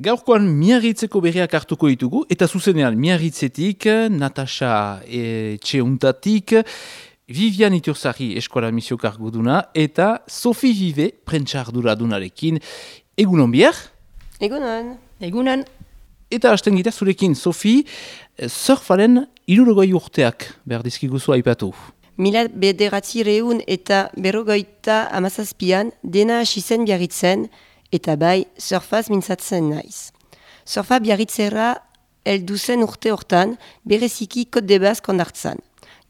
Gaurkoan Miarritzeko berriak hartuko ditugu, eta zuzenean Miarritzetik, Natasha Etxeuntatik, Vivian Iturzari eskola misiok arguduna, eta Sophie Vive prentsa arduradunarekin. Egunon bier? Egunon. Egunon. Eta hasten gira zurekin, Sophie, surfaren 60 urteak behar dizkiguzu aipatu. 1900 eta 1957 dena hasi zen Biarritzen, eta bai surfaz mintzatzen naiz. Surfa Biarritzera heldu zen urte hortan, bereziki Côte de Basque ondartzan.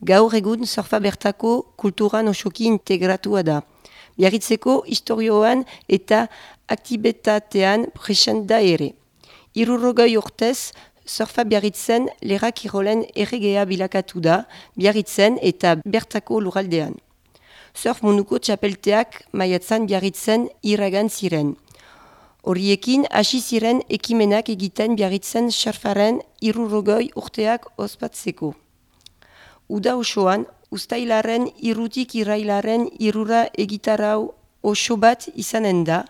Gaur egun surfa bertako kulturan osoki integratua da. Biarritzeko historioan eta aktibetatean present da ere. 60 urtez, surfa Biarritzen lera kirolen erregea bilakatu da, Biarritzen eta bertako lurraldean. Surf munduko txapelteak maiatzan Biarritzen iragan ziren. Horiekin hasi ziren ekimenak egiten Biarritzen surfaren 60 urteak ospatzeko. Uda osoan, uztailaren 3 irailaren 3 egitarau oso bat izanen da,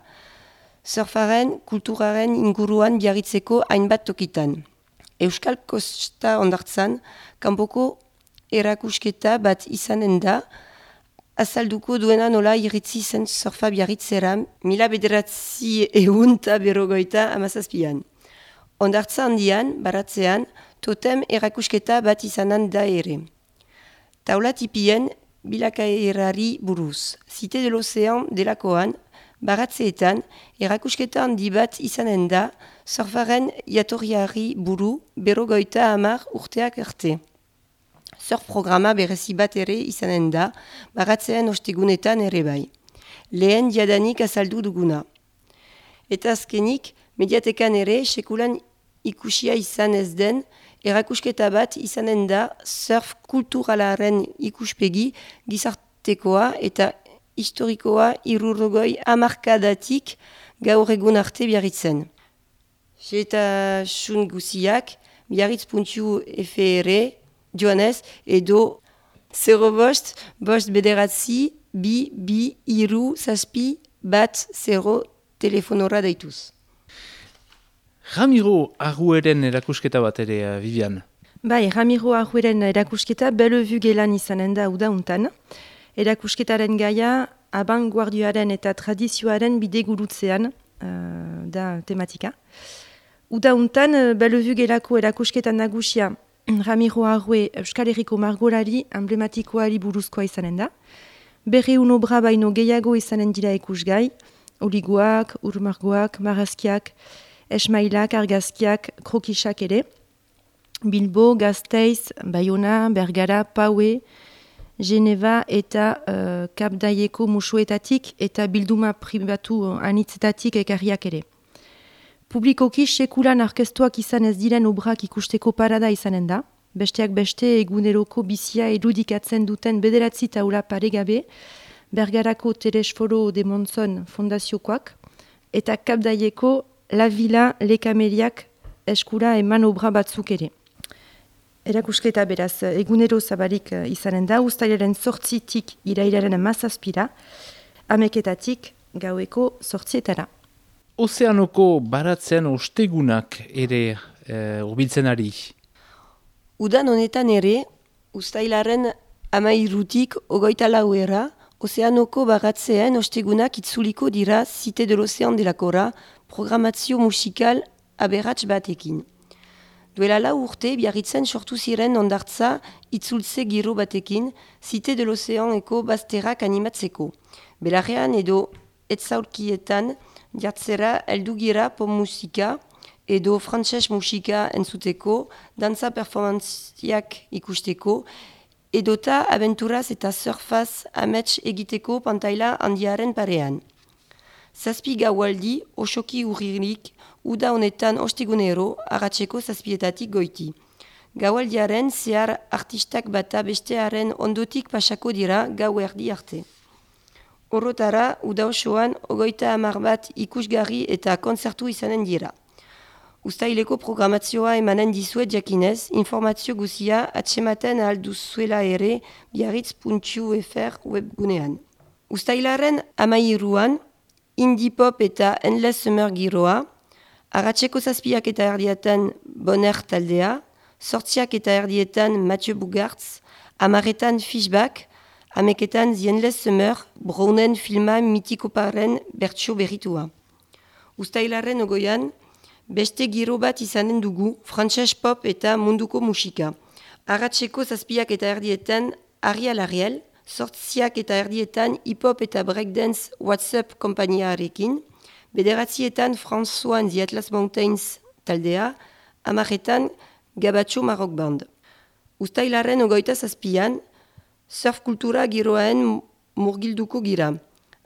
surfaren kulturaren inguruan Biarritzeko hainbat tokitan. Euskal Kosta ondartzan, kanpoko erakusketa bat izanen da, azalduko duena nola iritzi zen surfa Biarritzera 1957. Ondartza handian, baratzean, totem erakusketa bat izanen da ere. Taula tipien bilakaerari buruz. Cité de l'Océan delakoan, baratzeetan, erakusketa handi bat izanen da, surfaren jatorriari buru 50 urteak arte. Surf programa berezi bat ere izanen da, baratzean ostegunetan ere bai. Lehen jadanik azaldu duguna. Eta azkenik, mediatekan ere, sekulan ikusia izan ez den, erakusketa bat izanen da surf kulturalaren ikuspegi gizartekoa eta historikoa 60 hamarkadatik gaur egun arte Biarritzen. Xehetasun guziak biarritz.fr joanez edo 05 5 bederatzi 2 2 3 7 0 telefonora daituz. Ramiro Argueren erakusketa bat ere, Vivian. Bai, Ramiro Argueren erakusketa Bellevue gelan izanen da udauntan. Erakusketaren gaia abanguardioaren eta tradizioaren bidegurutzean da tematika. Udauntan Bellevue gelako erakusketan nagusia Ramiro Argue Euskal Herriko margolari emblematikoari buruzkoa izanen da. 200 obra baino gehiago izanen dira ikusgai, oligoak, urmargoak, marrazkiak, esmailak, argazkiak, krokisak ere. Bilbo, Gasteiz, Bayona, Bergara, Paue, Geneva eta Kapdaieko musuetatik eta bilduma pribatu anitzetatik ekarriak ere. Publikoki sekulan orkestuak izan ez diren obrak ikusteko parada izanen da. Besteak beste eguneroko bizia edudikatzen duten 9 taula paregabe, Bergarako Telesforo de Monzon fondaziokoak eta Kapdaieko La Villa Lekameliak eskura eman obra batzuk ere. Erakusketa beraz egunero zabalik izanen da, uztailaren 8tik irailaren 17 ameketatik gaueko 8etara. Ozeanoko baratzean ostegunak ere urbiltzen ari. Udan honetan ere, uztailaren 13tik 24 Ozeanoko baratzean ostegunak itzuliko dira Cité de l'Océan delakora programazio musikal aberats batekin. Duela 4 urte, Biarritzen sortu ziren ondartza itzultze giro batekin, Cité de l'Océan eko bazterrak animatzeko. Belarrean edo etzaurkietan jartzera heldu gira pop musika edo frantses musika entzuteko, dantza performantziak ikusteko, edota abenturaz eta surfaz amets egiteko pantaila handiaren parean. 7 gaualdi osoki urririk, uda honetan ostegunero, arratseko 7etatik goiti. Gaualdiaren zehar artistak bata bestearen ondotik pasako dira gau erdi arte. Horotara, uda osoan 30 bat ikusgarri eta kontzertu izanen dira. Uztaileko programazioa emanen dizuet jakinez, informazio guzia atsematen alduzuela ere biarritz.fr webgunean. Uztailaren 13an, indie pop eta endless summer giroa, Arratseko 7 eta erdietan Bonner taldea, 8 eta erdietan Mathieu Bugartz, 10etan Fishback, 11etan The Endless Summer, Brownen filma mitikoparen bertsio berritua. Uztailaren 20an, beste giro bat izanen dugu, frantses pop eta munduko musika. Arratseko 7 eta erdietan Ariel Ariel, 8 eta erdietan hip-hop eta breakdance WhatsApp konpainiarekin, 9etan François and the Atlas Mountains taldea, 10etan Gabacho Maroc Band. Uztailaren 27an, surf kultura giroaen murgilduko gira.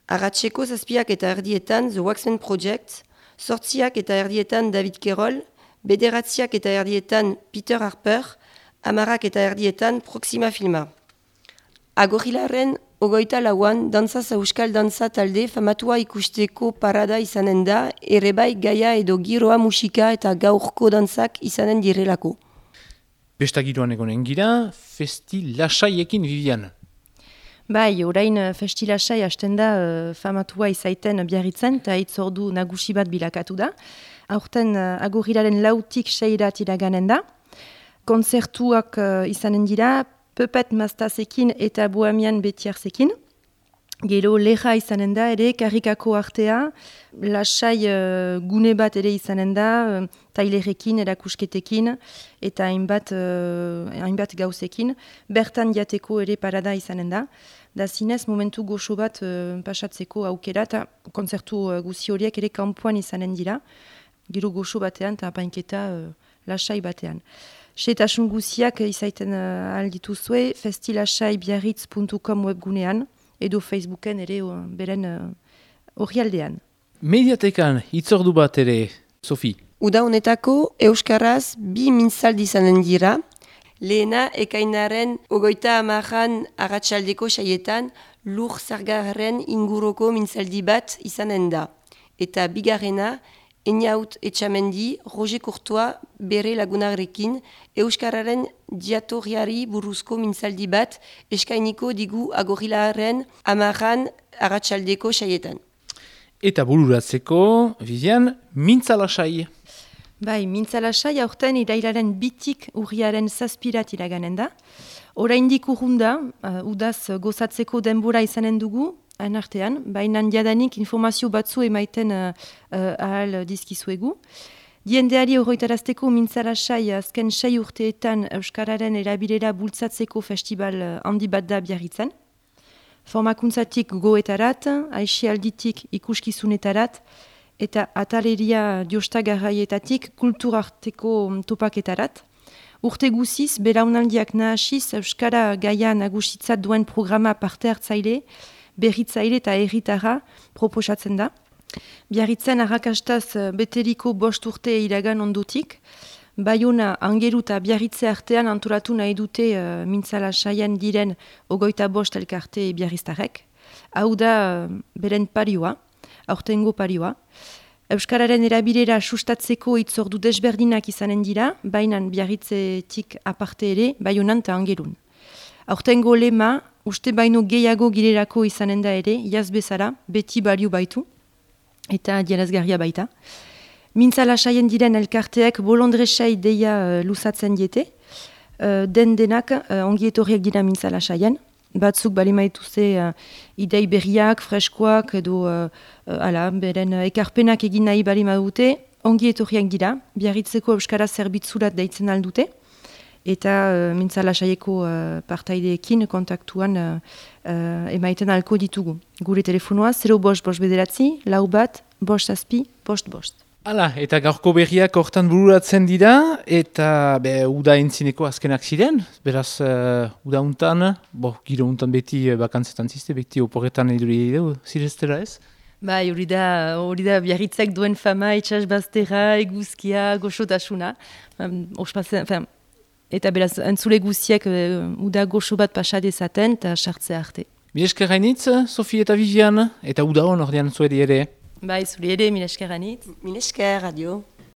Arratseko 7 eta erdietan The Waxman Project, 8 eta erdietan David Kerol, 9 eta erdietan Peter Harper, 10 eta erdietan Proxima Filma. Agorilaren 24an dantzaz euskal dantza talde famatua ikusteko parada izanen da, ere bai gaia edo giroa musika eta gaurko dantzak izanen direlako. Besta giroan egonen gira, festi lasaiekin Vivian. Bai, orain festi lasai hasten da famatua izaiten Biarritzen, eta hitzordu nagusi bat bilakatu da. Aurten Agorilaren 6tik 6 iraganen da. Kontzertuak izanen dira, Puppet Mastazekin eta Bohemian Betiarzekin. Gero leha izanen da ere, karrikako artea, lasai gune bat ere izanen da, tailerekin, erakusketekin, eta hainbat gauzekin. Bertan jateko ere parada izanen da. Da zinez, momentu goxo bat pasatzeko aukera, eta kontzertu guzi horiek ere kanpoan izanen dira. Gero goxo batean eta apainketa lasai batean. Setasun guziak izaiten aldituzue, festilasaibiarritz.com webgunean, edo Facebooken ere beren orrialdean. Mediatekan hitzordu bat ere, Sofi. Uda honetako euskaraz 2 mintzaldi izanen dira. Lehena ekainaren 30an arratsaldeko saietan lur zargarren inguroko mintzaldi bat izanen da. Eta bigarrena Einaut Etxamendi, Roger Courtois bere lagunarekin euskararen diatoriari buruzko mintzaldi bat eskainiko digu Agorilaren 10an arratsaldeko saietan. Eta bururatzeko, Vivian, mintzalasai. Bai, mintzalasai aurten irailaren 2tik urriaren 7 iraganen da. Oraindik urrunda, udaz gozatzeko denbora izanen dugu, artean, baina jadanik informazio batzu emaiten ahal dizkizuegu. Diendeari horretarazteko mintzalasai azken 6 urteetan euskararen erabilera bultzatzeko festival handi bat da Biarritzen. Formakuntzatik goetarat, aixialditik ikuskizunetarat, eta ataleria diostagarraietatik kulturarteko topaketarat. Urte guziz, belaunaldiak nahasiz euskara gaia nagusitzat duen programa parte hartzaile, berritzaile eta erritara proposatzen da. Biarritzen arrakastaz beteriko 5 urte iragan ondotik, Baiona, Angeru eta Biarritze artean antolatu nahi dute mintzalasaien diren 25 elkarte biarriztarek. Hau da beren parioa, aurtengo parioa. Euskararen erabilera sustatzeko hitzordu desberdinak izanen dira, baina Biarritzetik aparte ere, Baionan eta Angerun. Aurtengo lema, uste baino gehiago girerako izanen da ere, jaz bezala, beti balio baitu, eta dienazgarria baita. Mintzalasaien diren elkarteek bolondresai deia luzatzen diete, denak ongi etorriak dira mintzalasaien, batzuk balimaituzte idei berriak, freskoak, edo beren ekarpenak egin nahi balimadute, ongi etorriak dira, Biarritzeko euskara zerbitzurat deitzen aldute, eta mintzalasaieko partaideekin kontaktuan emaiten alko ditugu. Gure telefonoa 0559 4 5 Hala, eta gaurko berriak hortan bururatzen dira, eta uda entzineko azkenak ziren, beraz uda untan, giro untan beti bakantzetan ziste, beti oporretan eduri edo, zireztera ez? Bai, hori da Biarritzek duen fama, itxasbaztera, eguzkia, goxotasuna. Eta beraz, entzule guziek uda goxo bat pasadezaten eta sartzea arte. Mil esker hainitz, Sofi eta Vivian, eta uda hon ordean zuedi ere. Bai, zuri ere, mil esker hainitz. Mil esker, adio.